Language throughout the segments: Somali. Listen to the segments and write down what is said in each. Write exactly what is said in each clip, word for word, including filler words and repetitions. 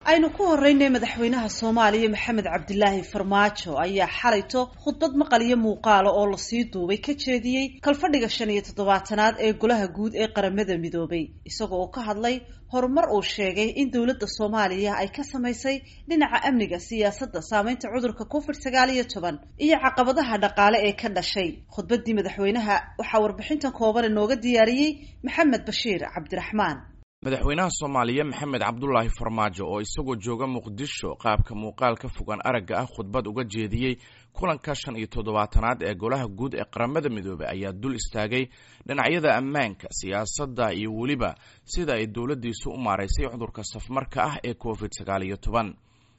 Aynu ku horeynay, madaxweynaha Soomaaliya Maxamed Cabdilaahi Farmaajo ayaa xalayto khudbad maqal iyo muuqaala oo lasii duubay ka jeediyey kalfadhiga shan iyo toddobaatanaad ee Golaha Guud ee Qaramada Midoobay, isagoo oo ka hadlay horumar uu sheegay in dowladda Soomaaliya ay ka samaysay dhinaca amniga, siyaasadda, saameynta cudurka Covid sagaal iyo toban iyo caqabadaha dhaqaale ee ka dhashay. Khudbaddii madaxweynaha waxaa warbixintan kooban inooga diyaariyey Maxamed Bashiir Cabdiraxmaan. Madaxweynaha Soomaaliya Maxamed Cabdulaahi Farmaajo oo isagoo jooga Muqdisho qaabka muuqaalka fogaan aragga ah khudbad uga jeediyey kulanka shan iyo toddobaatanaad ee Golaha Guud ee Qaramada Midoobey ayaa dul istaagay dhinacyada ammaanka, siyaasadda iyo weliba sida ay dowladdiisu u maaraysay cudurka safmarka ah ee Covid sagaal iyo toban.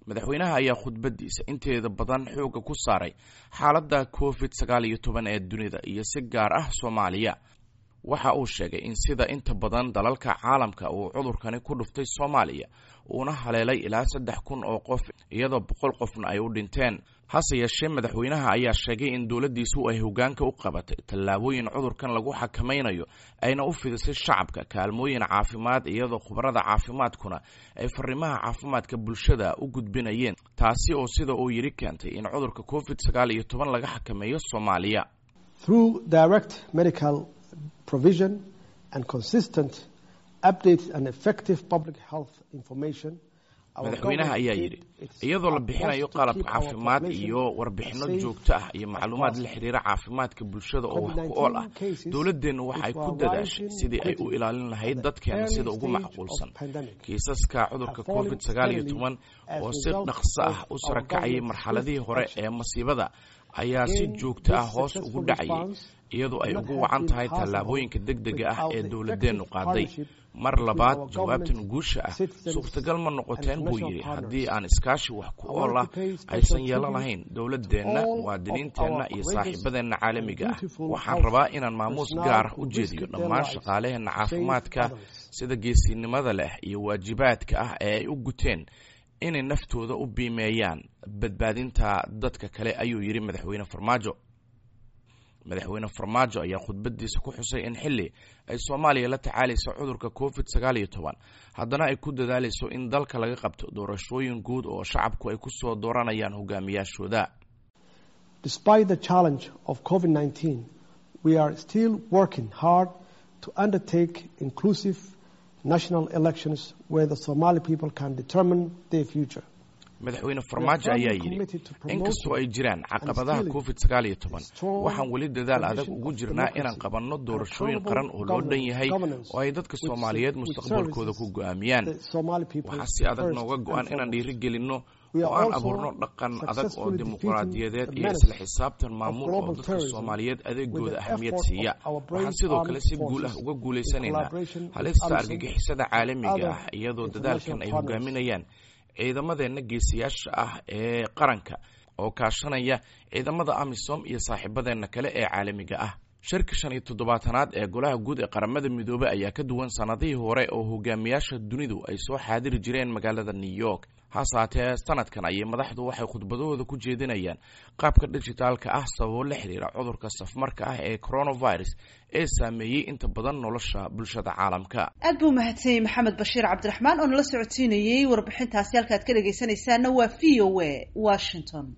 Madaxweynaha ayaa khudbadiisa inteeda badan xoogga ku saaray xaaladda Covid sagaal iyo toban ee dunida iyo si gaar ah Soomaaliya. Waxa uu sheegay in sida inta badan dalalka caalamka uu cudurkani ku dhuftay Soomaaliya, uuna haleelay ilaa saddex kun oo qof, iyadoo boqol qofna ay u dhinteen. Hase yeeshee, madaxweynaha ayaa sheegay in dowladdiisu ay hoggaanka u qabatay tallaabooyin cudurkan lagu xakamaynayo, ayna u fidisay shacabka kaalmooyin caafimaad, iyadoo khubarada caafimaadkuna ay fariimaha caafimaadka bulshada u gudbinayeen, taasi oo sida uu yidhi keentay in cudurka Covid sagaal iyo toban laga xakameeyo Soomaaliya. Provision and consistent updates and effective public health information. Madaxweynaha ayaa yidhi, iyadoo la bixinayo qalab caafimaad iyo warbixinno joogto ah iyo macluumaad la xiriira caafimaadka bulshada oo wax ku ool ah, dowladdeennu waxay ku dadaashay sidii ay u ilaalin lahayd dadkeena sida ugu macquulsan. Kiisaska cudurka Covid sagaal iyo toban oo si dhaqso ah u sarakacayay marxaladihii hore ee masiibada ayaa si joogto ah hoos ugu dhacayay, iyadoo ay ugu wacan tahay tallaabooyinka degdega ah ee dowladdeennu qaaday. Mar labaad, jawaabtan guusha ah suurtagal ma noqoteen, buu yidhi, haddii aan iskaashi wax ku ool ah aysan yeelan lahayn dowladdeenna, muwaadiniinteenna iyo saaxiibadeenna caalamiga ah. Waxaan rabaa inaan maamuus gaar ah u jeediyo dhammaan shaqaaleheenna caafimaadka sida geesinimada leh iyo waajibaadka ah ee ay u guteen inay naftooda u biimeeyaan badbaadinta dadka kale, ayuu yidhi madaxweyne Farmaajo. Madaxweyne Farmaajo ayaa khudbadiisa ku xusay in xilli ay Soomaaliya la tacaalayso cudurka Covid sagaal iyo toban, haddana ay ku dadaalayso in dalka laga qabto doorashooyin guud oo shacabku ay ku soo dooranayaan hogaamiyaashooda. Despite the challenge of COVID nineteen, we are still working hard to undertake inclusive national elections where the Somali people can determine their future. Madaxweyne Farmaajo ayaa yidhi, inkastoo ay jiraan caqabadaha Covid sagaal iyo toban, waxaan weli dadaal adag ugu jirnaa inaan qabanno doorashooyin qaran oo loo dhan yahay oo ay dadka Soomaaliyeed mustaqbalkooda ku go'aamiyaan. Waxaa si adag nooga go'an inaan dhiirigelinno oo aan abuurno dhaqan adag oo dimuqraadiyadeed iyo isla xisaabtan maamul oo dadka Soomaaliyeed adeegooda ahamiyad siiya. Waxaan sidoo kale si guul ah uga guulaysanaynaa halista argagixisada caalamiga ah, iyadoo dadaalkan ay hogaaminayaan ciidamadeenna geesiyaasha ah ee qaranka oo kaashanaya ciidamada AMISOM iyo saaxiibadeenna kale ee caalamiga ah. Shirka shan iyo toddobaatanaad ee Golaha Guud ee Qaramada Midoobey ayaa ka duwan sanadihii hore oo hogaamiyaasha dunidu ay soo xaadiri jireen magaalada New York. Hase haatee, sanadkan ayay madaxdu waxay khudbadahooda ku jeedinayaan qaabka dhijitaalka ah, sababo la xiriira cudurka safmarka ah ee coronavirus ee saameeyey inta badan nolosha bulshada caalamka. Aad buu mahadsanyay Maxamed Bashiir Cabdiraxmaan oo nala socodsiinayey warbixintaasi. Halkaad ka dhegaysanaysaana waa V O A Washington.